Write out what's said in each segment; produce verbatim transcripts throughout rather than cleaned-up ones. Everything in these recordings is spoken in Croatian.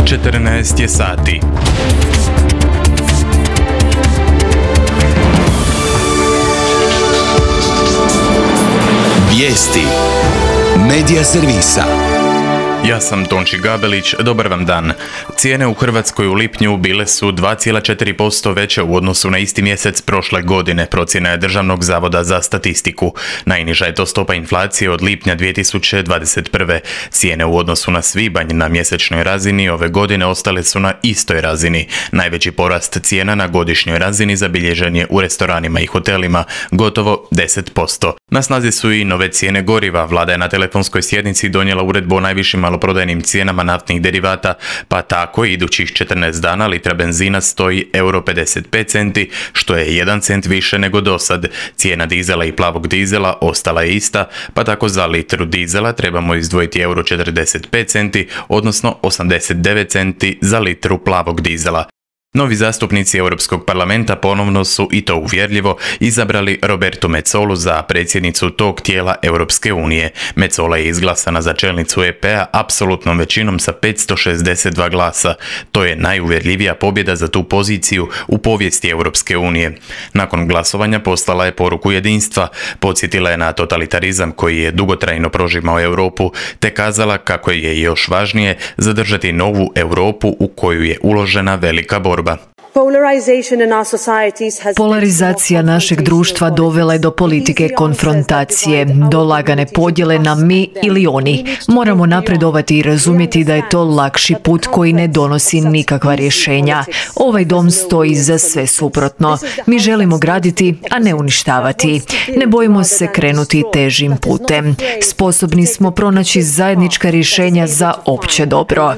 četrnaest je sati. Vijesti Medija servisa. Ja sam Tonči Gabelić, dobar vam dan. Cijene u Hrvatskoj u lipnju bile su dva zarez četiri posto veće u odnosu na isti mjesec prošle godine, procjena je Državnog zavoda za statistiku. Najniža je to stopa inflacije od lipnja dvije tisuće dvadeset prve. Cijene u odnosu na svibanj na mjesečnoj razini ove godine ostale su na istoj razini. Najveći porast cijena na godišnjoj razini zabilježen je u restoranima i hotelima, gotovo deset posto. Na snazi su i nove cijene goriva. Vlada je na telefonskoj sjednici donijela uredbu o najvišim maloprodajnim cijenama naftnih derivata, pa tako idućih četrnaest dana litra benzina stoji euro pedeset pet centi, što je jedan cent više nego dosad. Cijena dizela i plavog dizela ostala je ista, pa tako za litru dizela trebamo izdvojiti euro četrdeset pet centi, odnosno osamdeset devet centi za litru plavog dizela. Novi zastupnici Europskog parlamenta ponovno su, i to uvjerljivo, izabrali Robertu Metsolu za predsjednicu tog tijela Europske unije. Metsola je izglasana za čelnicu E P-a apsolutnom većinom sa petsto šezdeset dva glasa. To je najuvjerljivija pobjeda za tu poziciju u povijesti Europske unije. Nakon glasovanja poslala je poruku jedinstva, podsjetila je na totalitarizam koji je dugotrajno prožimao Europu, te kazala kako je još važnije zadržati novu Europu u koju je uložena velika borba. Polarizacija našeg društva dovela je do politike konfrontacije, do lagane podjele na mi ili oni. Moramo napredovati i razumjeti da je to lakši put koji ne donosi nikakva rješenja. Ovaj dom stoji za sve suprotno. Mi želimo graditi, a ne uništavati. Ne bojimo se krenuti težim putem. Sposobni smo pronaći zajednička rješenja za opće dobro.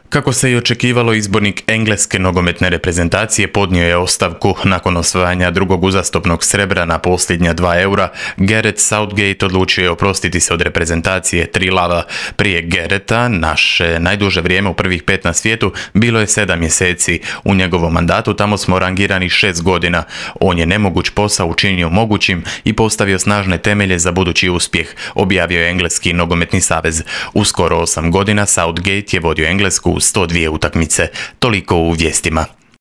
Kako se i očekivalo, izbornik engleske nogometne reprezentacije podnio je ostavku nakon osvajanja drugog uzastopnog srebra na posljednja dva eura. Gareth Southgate odlučio je oprostiti se od reprezentacije tri lava. Prije Gareta naše najduže vrijeme u prvih pet na svijetu bilo je sedam mjeseci. U njegovom mandatu tamo smo rangirani šest godina. On je nemoguć posao učinio mogućim i postavio snažne temelje za budući uspjeh, objavio je Engleski nogometni savez. U skoro osam godina Southgate je vodio Englesku u sto dvije utakmice. Toliko u vijestima.